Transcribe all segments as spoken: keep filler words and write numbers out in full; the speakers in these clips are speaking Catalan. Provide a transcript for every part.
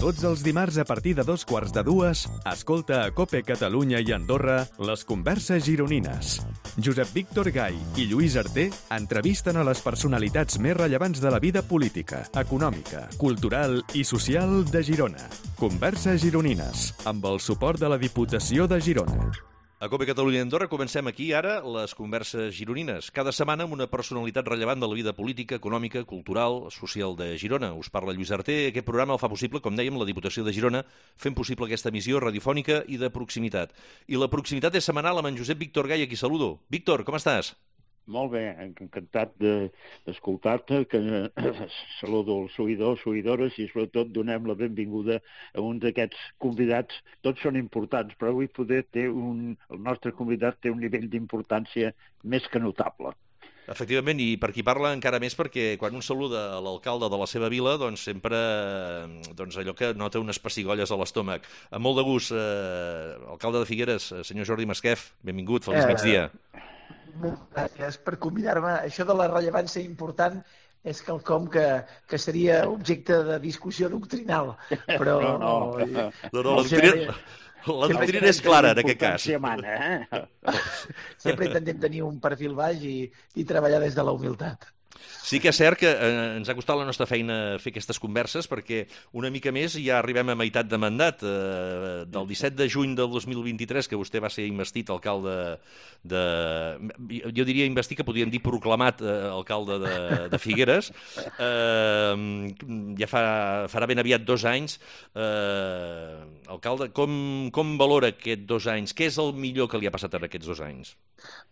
Tots els dimarts a partir de dos quarts de dues, escolta a COPE Catalunya i Andorra les converses gironines. Josep Víctor Gai i Lluís Arter entrevisten a les personalitats més rellevants de la vida política, econòmica, cultural i social de Girona. Converses gironines, amb el suport de la Diputació de Girona. A COPE Catalunya i Andorra comencem aquí ara les converses gironines. Cada setmana amb una personalitat rellevant de la vida política, econòmica, cultural, social de Girona. Us parla Lluís Arter. Aquest programa el fa possible, com dèiem, la Diputació de Girona, fent possible aquesta emissió radiofònica i de proximitat. I la proximitat és setmanal amb en Josep Víctor Gai, a qui saludo. Víctor, com estàs? Molt bé, encantat d'escoltar-te, que saludo els seguidors, seguidores, i sobretot donem la benvinguda a un d'aquests convidats. Tots són importants, però avui poder té un, el nostre convidat té un nivell d'importància més que notable. Efectivament, i per qui parla encara més perquè quan un saluda a l'alcalde de la seva vila, doncs sempre doncs allò que nota unes pessigolles a l'estómac. Amb molt de gust, eh, alcalde de Figueres, senyor Jordi Masquef, benvingut, feliç eh... migdia. Moltes gràcies per convidar-me. Això de la rellevància important és quelcom que, que seria objecte de discussió doctrinal, però... No, no, no, no, no la doctrina, la doctrina és clara en aquest cas. Mana, eh? Sempre intentem tenir un perfil baix i, i treballar des de la humilitat. Sí que és cert que eh, ens ha costat la nostra feina fer aquestes converses perquè una mica més ja arribem a meitat de mandat. Eh, del disset de juny del dos mil vint-i-tres, que vostè va ser investit alcalde de... Jo diria investit, que podríem dir proclamat eh, alcalde de, de Figueres. Eh, ja fa, farà ben aviat dos anys. Eh, alcalde, com, com valora aquests dos anys? Què és el millor que li ha passat en aquests dos anys?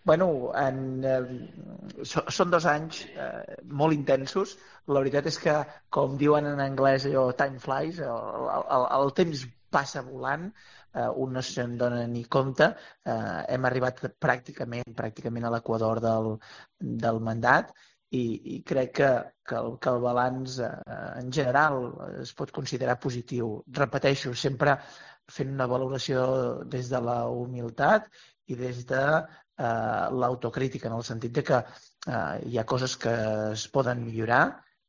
Bueno, en, eh, so, són dos anys eh, molt intensos. La veritat és que, com diuen en anglès, allò, time flies, el, el, el temps passa volant, eh, un no se'n dona ni compte. Eh, hem arribat pràcticament, pràcticament a l'equador del, del mandat i, i crec que, que, el, que el balanç eh, en general es pot considerar positiu. Repeteixo, sempre fent una valoració des de la humilitat i des de eh, l'autocrítica, en el sentit de que eh, hi ha coses que es poden millorar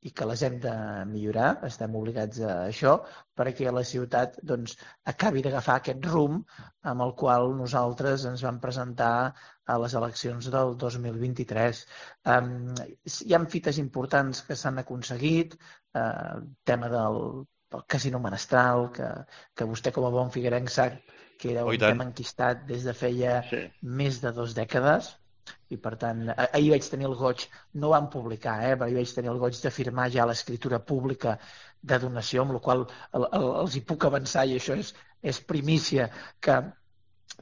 i que les hem de millorar, estem obligats a això, perquè la ciutat doncs, acabi d'agafar aquest rumb amb el qual nosaltres ens vam presentar a les eleccions del dos mil vint-i-tres. Um, hi ha fites importants que s'han aconseguit, eh, tema del, del casino menestral, que, que vostè com a bon figuerenc sap que era un tema enquistat des de feia sí. més de dues dècades, i per tant, ahir vaig tenir el goig, no ho vam publicar, eh, però ahir vaig tenir el goig de firmar ja l'escriptura pública de donació, amb la qual el, el, els hi puc avançar, i això és, és primícia, que,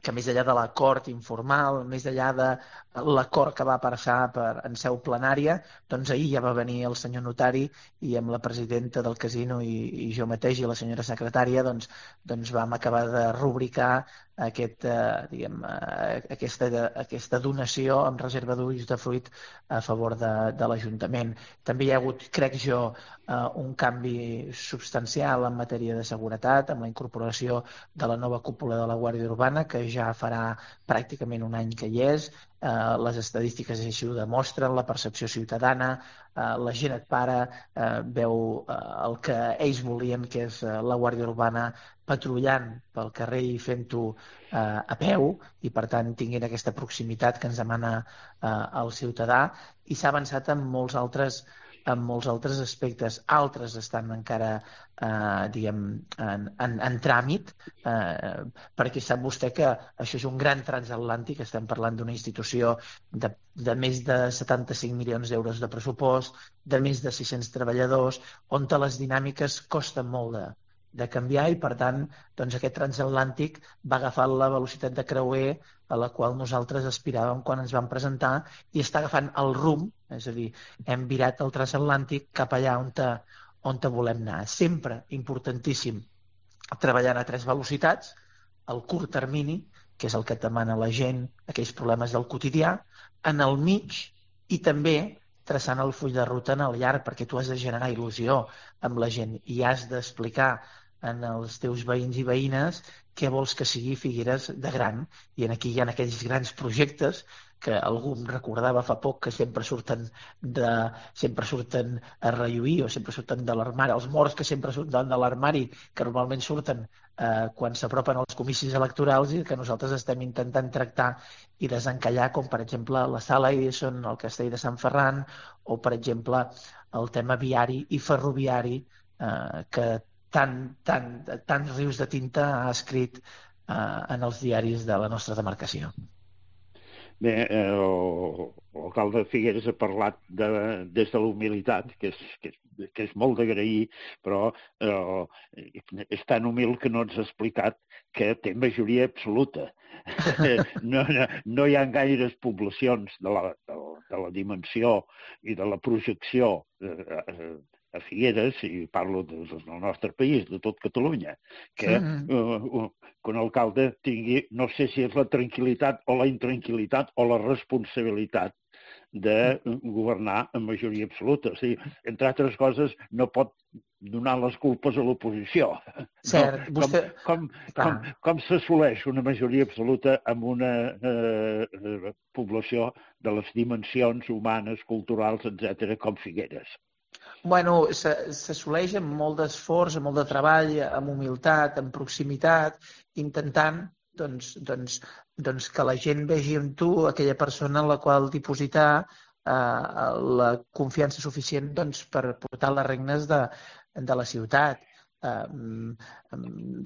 que més enllà de l'acord informal, més enllà de l'acord que va passar per, en seu plenària, doncs ahir ja va venir el senyor notari i amb la presidenta del casino i, i jo mateix i la senyora secretària doncs, doncs vam acabar de rubricar aquest, eh, diguem, eh, aquesta, aquesta donació amb reserva d'ulls de fruit a favor de, de l'Ajuntament. També hi ha hagut, crec jo, eh, un canvi substancial en matèria de seguretat, amb la incorporació de la nova cúpula de la Guàrdia Urbana, que ja farà pràcticament un any que hi és. Uh, les estadístiques així ho demostren, la percepció ciutadana, uh, la gent et para, uh, veu uh, el que ells volien, que és uh, la Guàrdia Urbana patrullant pel carrer i fent-ho uh, a peu, i per tant tinguin aquesta proximitat que ens demana uh, el ciutadà, i s'ha avançat en molts altres en molts altres aspectes. Altres estan encara eh, diguem, en, en, en tràmit, eh, perquè sap vostè que això és un gran transatlàntic, estem parlant d'una institució de, de més de setanta-cinc milions d'euros de pressupost, de més de sis-cents treballadors, on les dinàmiques costen molt de, de canviar, i per tant doncs aquest transatlàntic va agafar la velocitat de creuer a la qual nosaltres aspiràvem quan ens vam presentar, i està agafant el rumb, és a dir, hem virat el transatlàntic cap allà on, te, on te volem anar. Sempre importantíssim treballant a tres velocitats, el curt termini, que és el que et demana la gent, aquells problemes del quotidià, en el mig, i també traçant el full de ruta en el llarg, perquè tu has de generar il·lusió amb la gent i has d'explicar en els teus veïns i veïnes què vols que sigui Figueres de gran, i en aquí hi ha aquells grans projectes que algú em recordava fa poc que sempre surten de, sempre surten a relluir o sempre surten de l'armari, els morts que sempre surten de l'armari, que normalment surten eh, quan s'apropen els comicis electorals i que nosaltres estem intentant tractar i desencallar, com per exemple la Sala Edison, el Castell de Sant Ferran o per exemple el tema viari i ferroviari eh, que tant, tant, tants rius de tinta ha escrit eh, en els diaris de la nostra demarcació. Bé, eh, l'alcalde de Figueres ha parlat de, des de la humilitat, que és, que és, que és molt d'agrair, però eh, és tan humil que no ens ha explicat que té majoria absoluta. No, no, no hi ha gaires poblacions de la, de, de la dimensió i de la projecció eh, a Figueres, i parlo del nostre país, de tot Catalunya, que uh, uh, que un alcalde tingui, no sé si és la tranquil·litat o la intranquil·litat o la responsabilitat de governar amb majoria absoluta. O sigui, entre altres coses, no pot donar les culpes a l'oposició. Cert, no? vostè... Com, com, com, com s'assoleix una majoria absoluta amb una eh, població de les dimensions humanes, culturals, etcètera, com Figueres? Bueno, s'assoleix amb molt d'esforç, amb molt de treball, amb humilitat, amb proximitat, intentant doncs, doncs, doncs que la gent vegi en tu aquella persona en la qual dipositar eh, la confiança suficient doncs, per portar les regnes de, de la ciutat. Eh,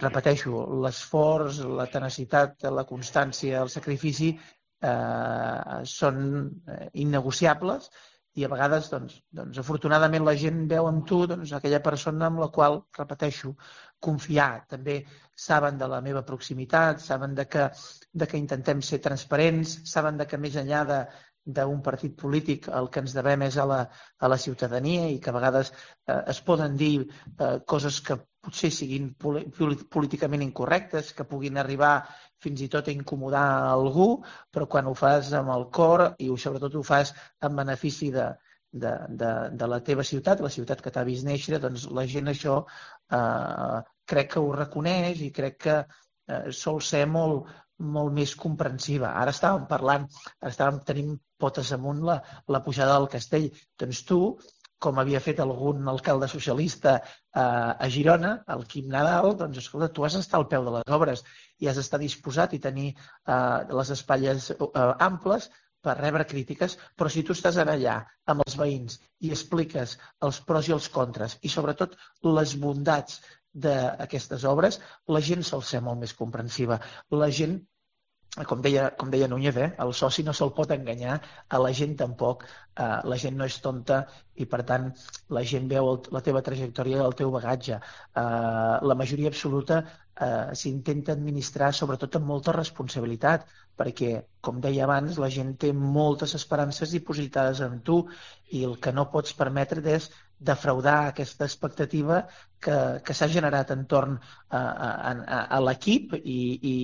repeteixo, l'esforç, la tenacitat, la constància, el sacrifici eh, són innegociables i a vegades, doncs, doncs, afortunadament, la gent veu en tu doncs, aquella persona amb la qual, repeteixo, confiar. També saben de la meva proximitat, saben de que, de que intentem ser transparents, saben de que més enllà de, d'un partit polític el que ens devem és a la, a la ciutadania i que a vegades eh, es poden dir eh, coses que potser siguin políticament incorrectes, que puguin arribar fins i tot a incomodar a algú, però quan ho fas amb el cor i sobretot ho fas en benefici de, de, de, de la teva ciutat, la ciutat que t'ha vist néixer, doncs la gent això eh, crec que ho reconeix i crec que eh, sol ser molt, molt més comprensiva. Ara estàvem parlant, ara estàvem tenint potes amunt la, la pujada del castell. Doncs tu, com havia fet algun alcalde socialista eh, a Girona, el Quim Nadal, doncs escolta, tu has d'estar al peu de les obres i has d'estar disposat i tenir eh, les espatlles eh, amples per rebre crítiques, però si tu estàs allà amb els veïns i expliques els pros i els contres i sobretot les bondats d'aquestes obres, la gent sol ser molt més comprensiva. La gent, com deia, com deia Núñez, eh, el soci no se'l pot enganyar, a la gent tampoc, eh, la gent no és tonta i per tant la gent veu el, la teva trajectòria i el teu bagatge. Eh, la majoria absoluta eh, s'intenta administrar sobretot amb molta responsabilitat, perquè, com deia abans, la gent té moltes esperances dipositades en tu i el que no pots permetre és defraudar aquesta expectativa que, que s'ha generat entorn a, a, a, a l'equip i, i,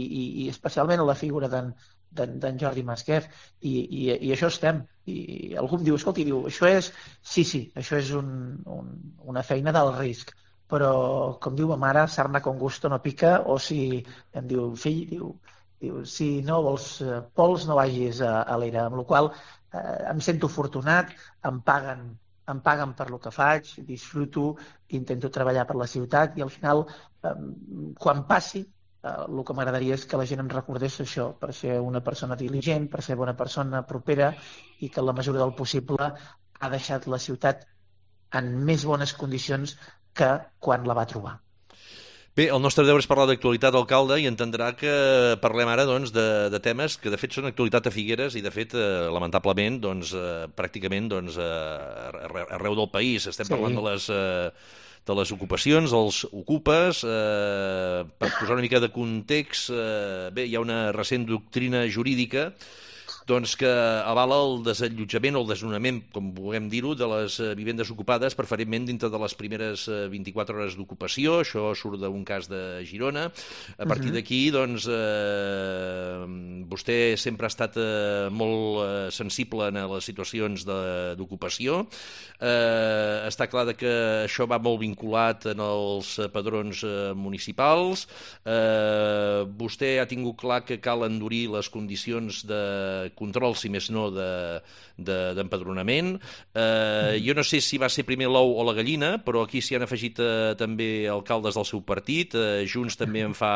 i especialment a la figura d'en Jordi Masquef. I, i, I això estem. I algú em diu, escolti, diu, això és... Sí, sí, això és un, un, una feina d'alt risc, però, com diu ma mare, sarna con gusto no pica, o si em diu, fill, diu, diu si no vols pols no vagis a, a l'era, amb la qual cosa eh, em sento afortunat, em paguen em paguen per lo que faig, disfruto, intento treballar per la ciutat i al final, eh, quan passi, eh, el que m'agradaria és que la gent em recordés això, per ser una persona diligent, per ser una persona propera i que en la mesura del possible ha deixat la ciutat en més bones condicions que quan la va trobar. Bé, el nostre deure és parlar d'actualitat, alcalde, i entendrà que parlem ara doncs, de, de temes que de fet són actualitat a Figueres i de fet, eh, lamentablement, doncs, eh, pràcticament doncs, eh, arreu del país. Estem sí. parlant de les, eh, de les ocupacions, dels ocupes. Eh, per posar una mica de context, eh, bé, hi ha una recent doctrina jurídica doncs que avala el desallotjament o el desnonament, com vulguem dir-ho, de les vivendes ocupades, preferentment dintre de les primeres vint-i-quatre hores d'ocupació. Això surt d'un cas de Girona. A partir uh-huh. d'aquí, doncs, eh, vostè sempre ha estat eh, molt eh, sensible en les situacions d'ocupació. Eh, està clar que això va molt vinculat en els padrons eh, municipals. Eh, vostè ha tingut clar que cal endurir les condicions de control, si més no, d'empadronament. De, de, eh, jo no sé si va ser primer l'ou o la gallina, però aquí s'hi han afegit eh, també alcaldes del seu partit, eh, Junts també en fa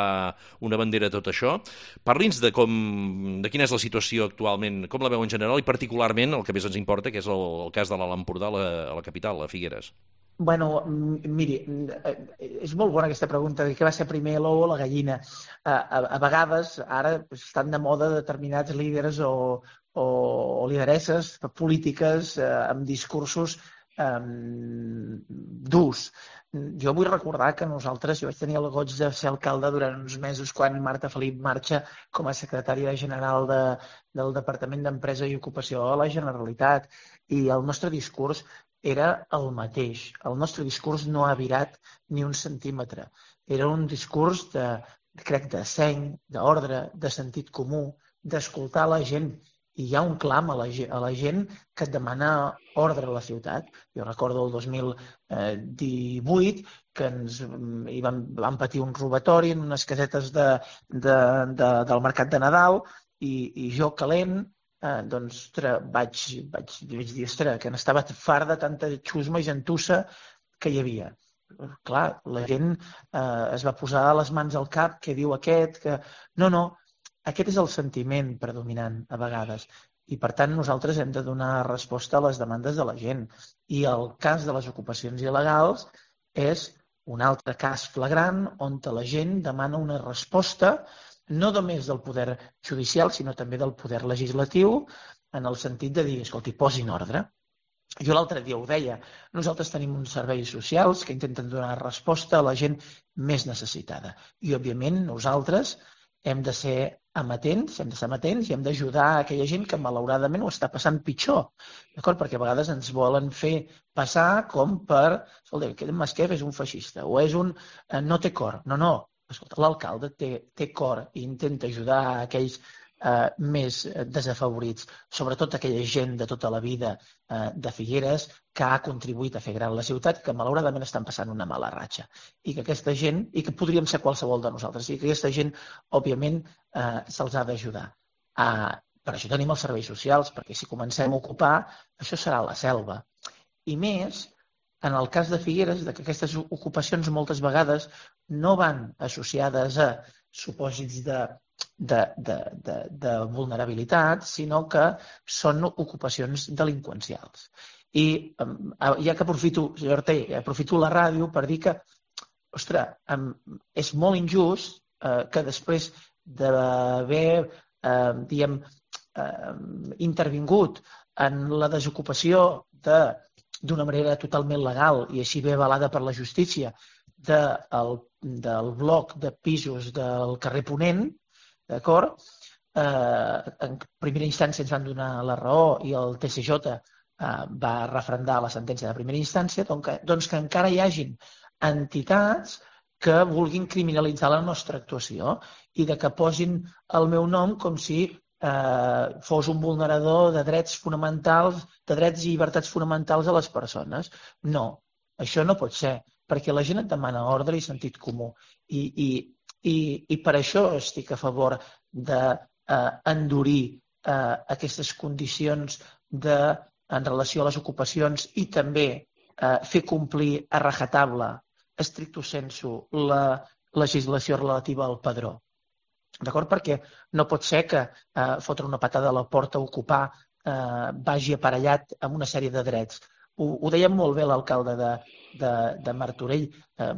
una bandera de tot això. Parli'ns de, com, de quina és la situació actualment, com la veu en general i particularment el que més ens importa, que és el, el cas de l'Alt Empordà a la, a la capital, a Figueres. Bueno, miri, és molt bona aquesta pregunta de què va ser primer l'ou o la gallina. A, a, a vegades ara estan de moda determinats líders o, o, o lideresses polítiques eh, amb discursos eh, durs. Jo vull recordar que nosaltres, jo vaig tenir el goig de ser alcalde durant uns mesos quan Marta Felip marxa com a secretària general de, del Departament d'Empresa i Ocupació a la Generalitat, i el nostre discurs era el mateix. El nostre discurs no ha virat ni un centímetre. Era un discurs de, crec, de seny, d'ordre, de sentit comú, d'escoltar la gent. I hi ha un clam a la, a la gent que et demana ordre a la ciutat. Jo recordo el dos mil divuit que ens hi vam, vam patir un robatori en unes casetes de, de, de, del mercat de Nadal i, i jo calent Eh, doncs, ostres, vaig, vaig, vaig dir, ostres, que n'estava fart de tanta xusma i gentussa que hi havia. Clar, la gent eh, es va posar les mans al cap, que diu aquest, que... No, no, aquest és el sentiment predominant a vegades. I, per tant, nosaltres hem de donar resposta a les demandes de la gent. I el cas de les ocupacions il·legals és un altre cas flagrant on la gent demana una resposta no només del poder judicial, sinó també del poder legislatiu, en el sentit de dir, escolti, posin ordre. Jo l'altre dia ho deia, nosaltres tenim uns serveis socials que intenten donar resposta a la gent més necessitada. I, òbviament, nosaltres hem de ser amatents, hem de ser amatents i hem d'ajudar a aquella gent que, malauradament, ho està passant pitjor. D'acord? Perquè a vegades ens volen fer passar com per... Escolta, aquest Masquef és un feixista o és un... no té cor. No, no. Escolta, l'alcalde té, té cor i intenta ajudar a aquells eh, més desafavorits, sobretot aquella gent de tota la vida eh, de Figueres que ha contribuït a fer gran la ciutat, que malauradament estan passant una mala ratxa. I que aquesta gent, i que podríem ser qualsevol de nosaltres, i que aquesta gent, òbviament, eh, se'ls ha d'ajudar. Eh, per això tenim els serveis socials, perquè si comencem a ocupar, això serà la selva. I més... En el cas de Figueres, que aquestes ocupacions moltes vegades no van associades a supòsits de, de, de, de, de vulnerabilitat, sinó que són ocupacions delinqüencials. I ja que aprofito, senyor Ortell, aprofito la ràdio per dir que, ostres, és molt injust eh, que després d'haver, eh, diguem, eh, intervingut en la desocupació de d'una manera totalment legal i així bé avalada per la justícia de, el, del bloc de pisos del carrer Ponent, d'acord? Eh, en primera instància ens van donar la raó i el T C J eh, va refrendar la sentència de primera instància, doncs que, doncs que encara hi hagin entitats que vulguin criminalitzar la nostra actuació i de que posin el meu nom com si Eh, fos un vulnerador de drets fonamentals, de drets i llibertats fonamentals a les persones. No, això no pot ser, perquè la gent et demana ordre i sentit comú. I, i, i, i per això estic a favor d'endurir eh, eh, aquestes condicions de, en relació a les ocupacions i també eh, fer complir a rajatabla, stricto sensu, la legislació relativa al padró. D'acord? Perquè no pot ser que eh, fotre una patada a la porta a ocupar eh, vagi aparellat amb una sèrie de drets. Ho, ho deia molt bé l'alcalde de, de, de Martorell. Eh,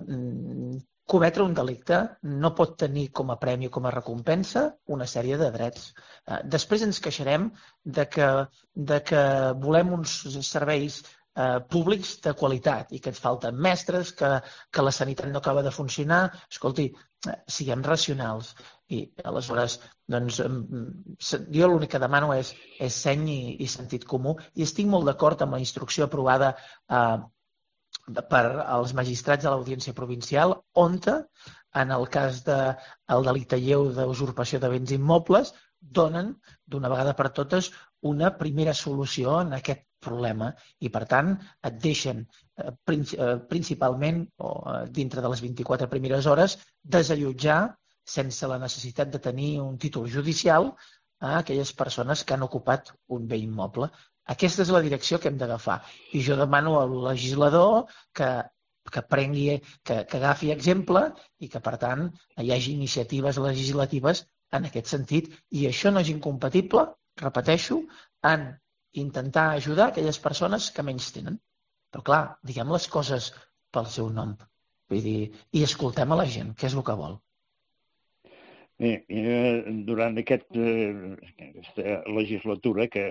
cometre un delicte no pot tenir com a premi o com a recompensa una sèrie de drets. Eh, després ens queixarem de que, de que volem uns serveis eh, públics de qualitat i que ens falten mestres, que, que la sanitat no acaba de funcionar. Escolti, eh, siguem racionals. I aleshores, doncs, jo l'únic que demano és, és seny i, i sentit comú i estic molt d'acord amb la instrucció aprovada eh, per als magistrats de l'Audiència Provincial on, en el cas del de, delicte lleu d'usurpació de béns immobles, donen d'una vegada per totes una primera solució en aquest problema i, per tant, et deixen eh, principalment, o eh, dintre de les vint-i-quatre primeres hores, desallotjar sense la necessitat de tenir un títol judicial a aquelles persones que han ocupat un bé immoble. Aquesta és la direcció que hem d'agafar. I jo demano al legislador que, que prengui, que, que agafi exemple i que, per tant, hi hagi iniciatives legislatives en aquest sentit. I això no és incompatible, repeteixo, en intentar ajudar aquelles persones que menys tenen. Però, clar, diguem les coses pel seu nom. Vull dir, i escoltem a la gent, què és el que vol. Bé, durant aquest, aquesta legislatura, que,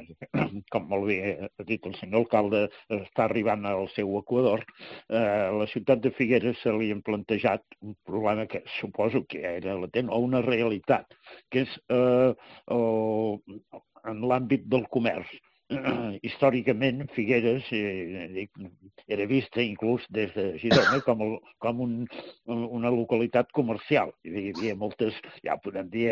com molt bé ha dit el senyor alcalde, està arribant al seu equador, eh, a la ciutat de Figueres se li han plantejat un problema que suposo que era latent, o una realitat, que és eh, el, en l'àmbit del comerç. Històricament, Figueres eh, era vista inclús des de Girona com, el, com un, una localitat comercial. Hi havia moltes, ja ho podem dir,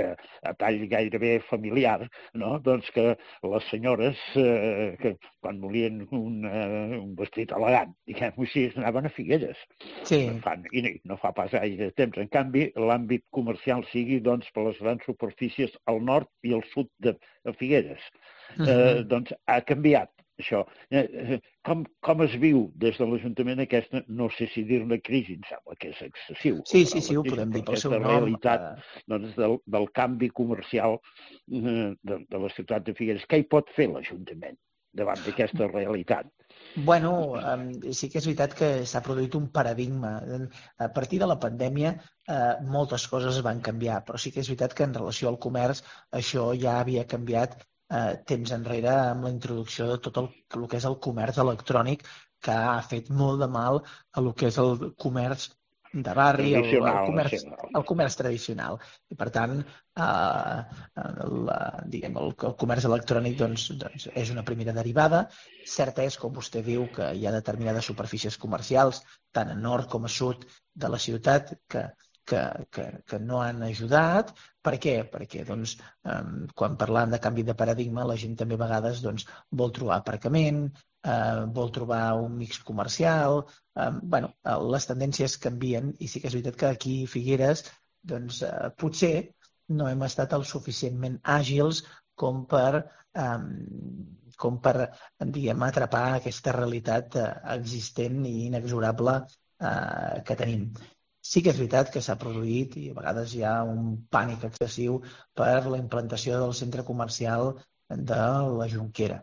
a tall gairebé familiar, no? Doncs que les senyores, eh, que quan volien un, eh, un vestit elegant, diguem-ho així, anaven a Figueres. Sí. Fan, I no fa pas gaire temps. En canvi, l'àmbit comercial sigui doncs, per les grans superfícies al nord i al sud de Figueres. Eh, doncs ha canviat això. Eh, com, com es viu des de l'Ajuntament aquesta, no sé si dir-ne crisi, em sembla que és excessiu. Sí, sí, sí, ho podem dir pel seu nom. Aquesta realitat doncs, del, del canvi comercial eh, de, de la ciutat de Figueres. Què hi pot fer l'Ajuntament davant d'aquesta realitat? Bueno, eh, sí que és veritat que s'ha produït un paradigma. A partir de la pandèmia eh, moltes coses van canviar, però sí que és veritat que en relació al comerç això ja havia canviat eh, temps enrere amb la introducció de tot el, el que és el comerç electrònic, que ha fet molt de mal a el que és el comerç de barri, el, el, comerç, el comerç tradicional. I, per tant, eh, el, diguem, el, el comerç electrònic doncs, doncs, és una primera derivada. Cert és, com vostè diu, que hi ha determinades superfícies comercials, tant a nord com a sud de la ciutat, que, que, que, que no han ajudat. Per què? Perquè doncs, eh, quan parlant de canvi de paradigma, la gent també a vegades doncs, vol trobar aparcament, eh, vol trobar un mix comercial. Eh, bueno, les tendències canvien i sí que és veritat que aquí a Figueres doncs, eh, potser no hem estat el suficientment àgils com per, eh, com per diguem, atrapar aquesta realitat eh, existent i inexorable eh, que tenim. Sí que és veritat que s'ha produït i a vegades hi ha un pànic excessiu per la implantació del centre comercial de la Jonquera.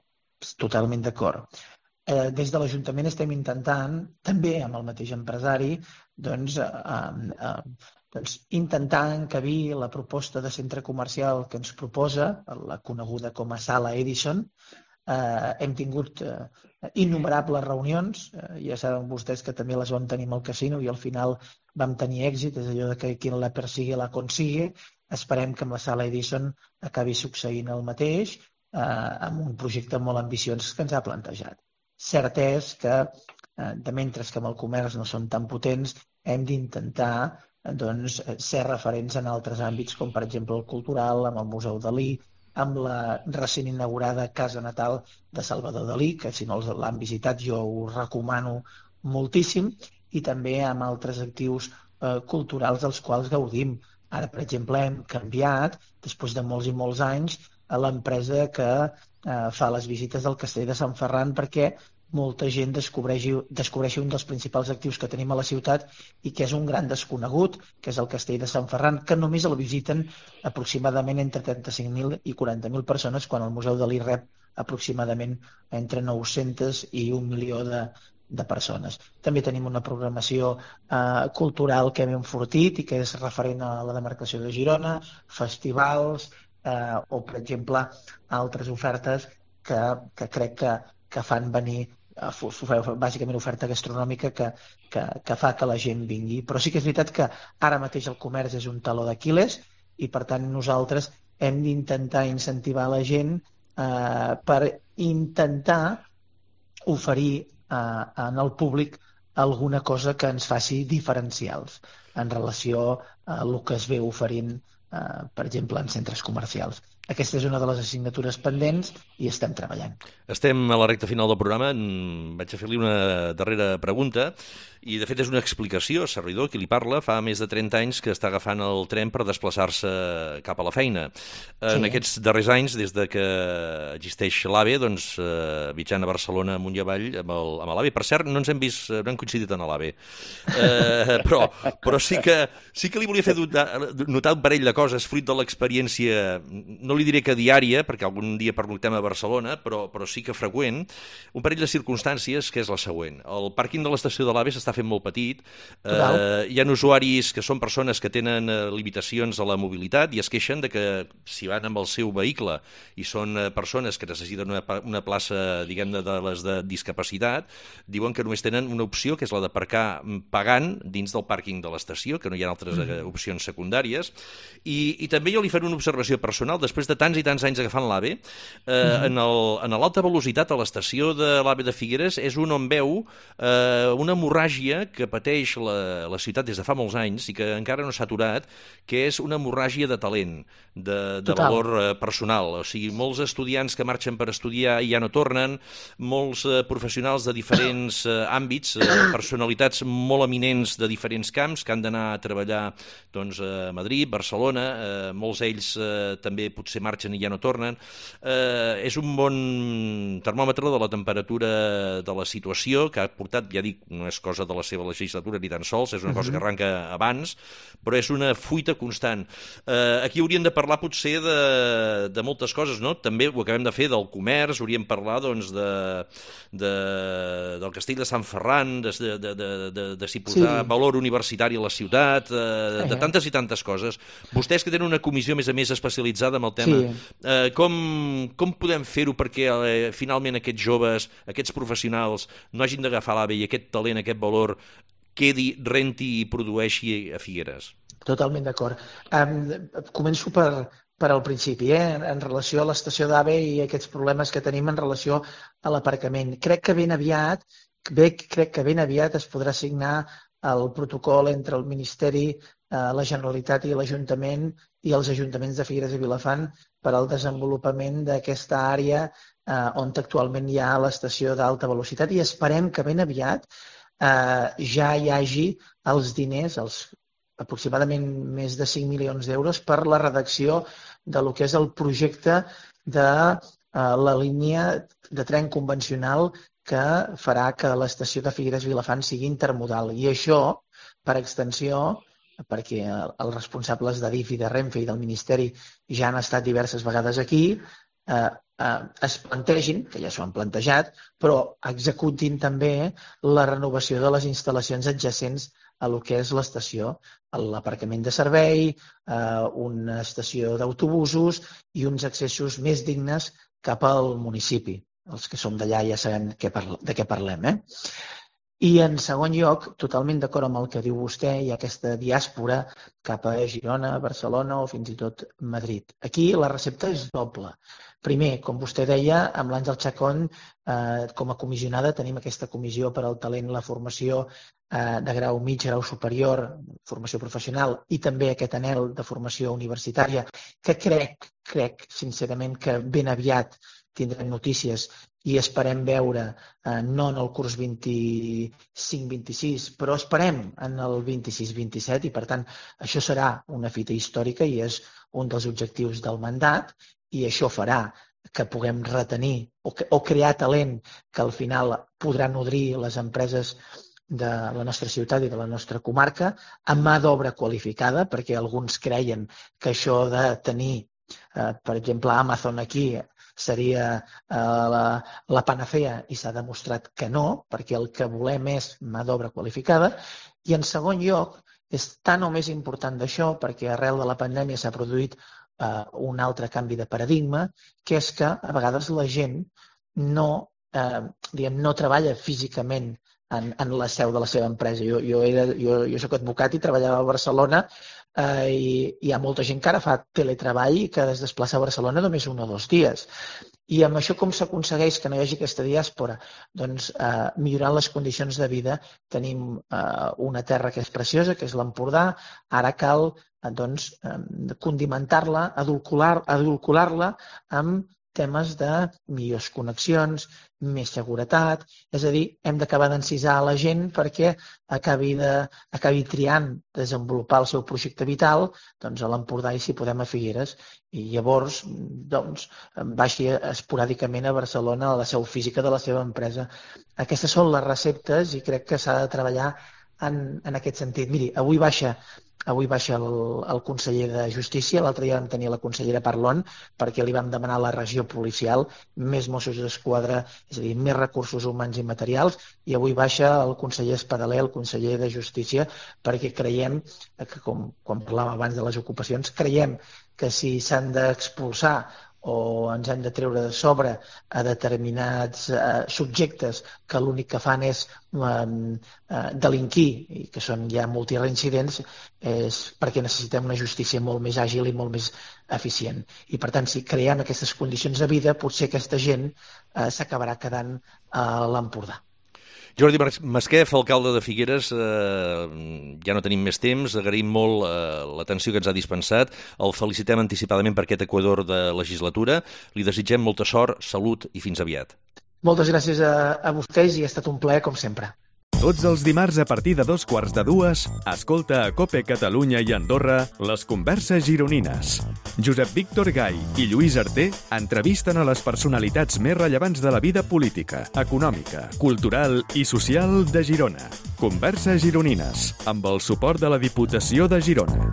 Totalment d'acord. Eh, des de l'Ajuntament estem intentant, també amb el mateix empresari, doncs, eh, eh, doncs intentar encabir la proposta de centre comercial que ens proposa, la coneguda com a Sala Edison. Eh, hem tingut eh, innumerables reunions, eh, ja saben vostès que també les vam tenir amb el casino i al final vam tenir èxit, és allò de que qui la persigue la consigue. Esperem que amb la Sala Edison acabi succeint el mateix, eh, amb un projecte molt ambiciós que ens ha plantejat. Cert és que, eh, de mentre que amb el comerç no són tan potents, hem d'intentar eh, doncs, ser referents en altres àmbits, com per exemple el cultural, amb el Museu Dalí, amb la recent inaugurada Casa Natal de Salvador Dalí, que si no l'han visitat jo ho recomano moltíssim, i també amb altres actius eh, culturals dels quals gaudim. Ara, per exemple, hem canviat, després de molts i molts anys, a l'empresa que eh, fa les visites del Castell de Sant Ferran perquè molta gent descobreixi, descobreixi un dels principals actius que tenim a la ciutat i que és un gran desconegut, que és el Castell de Sant Ferran, que només el visiten aproximadament entre trenta-cinc mil i quaranta mil persones, quan el Museu Dalí rep aproximadament entre nou-centes i un milió de, de persones. També tenim una programació eh, cultural que hem enfortit i que és referent a la demarcació de Girona, festivals eh, o, per exemple, altres ofertes que, que crec que, que fan venir bàsicament oferta gastronòmica que, que, que fa que la gent vingui. Però sí que és veritat que ara mateix el comerç és un taló d'Aquil·les i per tant nosaltres hem d'intentar incentivar la gent eh, per intentar oferir eh, en el públic alguna cosa que ens faci diferencials en relació a el que es ve oferint, eh, per exemple, en centres comercials. aquesta és una de les assignatures pendents i estem treballant. Estem a la recta final del programa. Vaig a fer-li una darrera pregunta i, de fet, és una explicació. Servidor, qui li parla, fa més de trenta anys que està agafant el tren per desplaçar-se cap a la feina. Sí. En aquests darrers anys, des de que existeix l'AVE, doncs, eh, viatjant a Barcelona amunt i avall amb l'AVE. Per cert, no ens hem vist, no hem coincidit en l'AVE. Eh, però però sí, que, sí que li volia fer notar, notar un parell de coses, fruit de l'experiència, no li diré que diària, perquè algun dia pernoctem a Barcelona, però, però sí que freqüent, un parell de circumstàncies, que és la següent. El pàrquing de l'estació de l'AVE s'està fent molt petit. Eh, hi ha usuaris que són persones que tenen eh, limitacions a la mobilitat i es queixen de que si van amb el seu vehicle i són eh, persones que necessiten una, una plaça, diguem-ne, de les de discapacitat, diuen que només tenen una opció, que és la d'aparcar pagant dins del pàrquing de l'estació, que no hi ha altres eh, opcions secundàries. I, i també jo li faré una observació personal. Després de tants i tants anys agafant l'AVE, eh, en l'alta velocitat a l'estació de l'AVE de Figueres és un on veu eh, una hemorràgia que pateix la, la ciutat des de fa molts anys i que encara no s'ha aturat, que és una hemorràgia de talent, de, de valor eh, personal. O sigui, molts estudiants que marxen per estudiar i ja no tornen, molts eh, professionals de diferents eh, àmbits, eh, personalitats molt eminents de diferents camps que han d'anar a treballar doncs, a Madrid, Barcelona, eh, molts d'ells eh, també potser marxen i ja no tornen. Eh, és un bon termòmetre de la temperatura de la situació que ha portat, ja dic, no és cosa de la seva legislatura ni tan sols, és una cosa que arranca abans, però és una fuita constant. Eh, aquí hauríem de parlar potser de, de moltes coses, no? També ho acabem de fer del comerç, hauríem de parlar doncs, de, de, del castell de Sant Ferran, de, de, de, de, de, de si posar sí. valor universitari a la ciutat, eh, de tantes i tantes coses. Vostès que tenen una comissió més a més especialitzada en el tema, sí. eh, com, com podem fer-ho perquè eh, finalment aquests joves, aquests professionals no hagin d'agafar l'AVE i aquest talent, aquest valor quedi, renti i produeixi a Figueres? Totalment d'acord. Um, començo per, per al principi, eh? en relació a l'estació d'AVE i aquests problemes que tenim en relació a l'aparcament. Crec que ben aviat, bé, crec que ben aviat es podrà signar el protocol entre el Ministeri, eh, la Generalitat i l'Ajuntament i els ajuntaments de Figueres i Vilafant per al desenvolupament d'aquesta àrea eh, on actualment hi ha l'estació d'alta velocitat i esperem que ben aviat eh, ja hi hagi els diners, els aproximadament més de cinc milions d'euros per la redacció de lo que és el projecte de eh, la línia de tren convencional que farà que l'estació de Figueres-Vilafant sigui intermodal. I això, per extensió, perquè els responsables d'Adif i de Renfe i del Ministeri ja han estat diverses vegades aquí, eh, eh, es plantegin, que ja s'ho han plantejat, però executin també la renovació de les instal·lacions adjacents a lo que és l'estació, l'aparcament de servei, eh, una estació d'autobusos i uns accessos més dignes cap al municipi. Els que som d'allà ja sabem de què parlem. Eh? I en segon lloc, totalment d'acord amb el que diu vostè, hi ha aquesta diàspora cap a Girona, Barcelona o fins i tot Madrid. Aquí la recepta és doble. Primer, com vostè deia, amb l'Àngel Chacón, eh, com a comissionada, tenim aquesta comissió per al talent i la formació eh, de grau mig, grau superior, formació professional i també aquest anhel de formació universitària, que crec, crec sincerament que ben aviat tindrem notícies i esperem veure, eh, no en el curs vint-i-cinc vint-i-sis, però esperem en el vint-i-sis vint-i-set i, per tant, això serà una fita històrica i és un dels objectius del mandat i això farà que puguem retenir o, que, o crear talent que al final podrà nodrir les empreses de la nostra ciutat i de la nostra comarca amb mà d'obra qualificada, perquè alguns creien que això de tenir, eh, per exemple, Amazon aquí seria eh, la, la panacea i s'ha demostrat que no, perquè el que volem és mà d'obra qualificada. I en segon lloc, és tan o més important d'això perquè arrel de la pandèmia s'ha produït eh, un altre canvi de paradigma, que és que a vegades la gent no, eh, diguem, no treballa físicament en, en la seu de la seva empresa. Jo, jo, era, jo, jo soc advocat i treballava a Barcelona eh, i hi ha molta gent que ara fa teletreball i que es desplaça a Barcelona només un o dos dies. I amb això com s'aconsegueix que no hi hagi aquesta diàspora? Doncs eh, millorant les condicions de vida. Tenim eh, una terra que és preciosa, que és l'Empordà. Ara cal doncs, condimentar-la, adulcorar-la amb temes de millors connexions, més seguretat, és a dir, hem d'acabar d'encisar la gent perquè acabi, de, acabi triant desenvolupar el seu projecte vital doncs, a l'Empordà i, si podem, a Figueres, i llavors doncs, baixi esporàdicament a Barcelona a la seu física de la seva empresa. Aquestes són les receptes i crec que s'ha de treballar en, en aquest sentit. Miri, avui baixa Avui baixa el, el conseller de Justícia, l'altre dia vam tenir la consellera Parlon perquè li vam demanar a la regió policial més Mossos d'Esquadra, és a dir, més recursos humans i materials, i avui baixa el conseller Espadaler, el conseller de Justícia, perquè creiem, que com quan parlàvem abans de les ocupacions, creiem que si s'han d'expulsar o ens hem de treure de sobre a determinats eh, subjectes que l'únic que fan és eh, eh, delinquir i que són ja multireincidents, és perquè necessitem una justícia molt més àgil i molt més eficient. I per tant, si creem aquestes condicions de vida, potser aquesta gent eh, s'acabarà quedant a l'Empordà. Jordi Masquef, alcalde de Figueres, eh, ja no tenim més temps, agraïm molt eh, l'atenció que ens ha dispensat, el felicitem anticipadament per aquest equador de legislatura, li desitgem molta sort, salut i fins aviat. Moltes gràcies a, a vostès i ha estat un plaer com sempre. Tots els dimarts a partir de dos quarts de dues, escolta a COPE Catalunya i Andorra les converses gironines. Josep Víctor Gai i Lluís Arter entrevisten a les personalitats més rellevants de la vida política, econòmica, cultural i social de Girona. Converses gironines, amb el suport de la Diputació de Girona.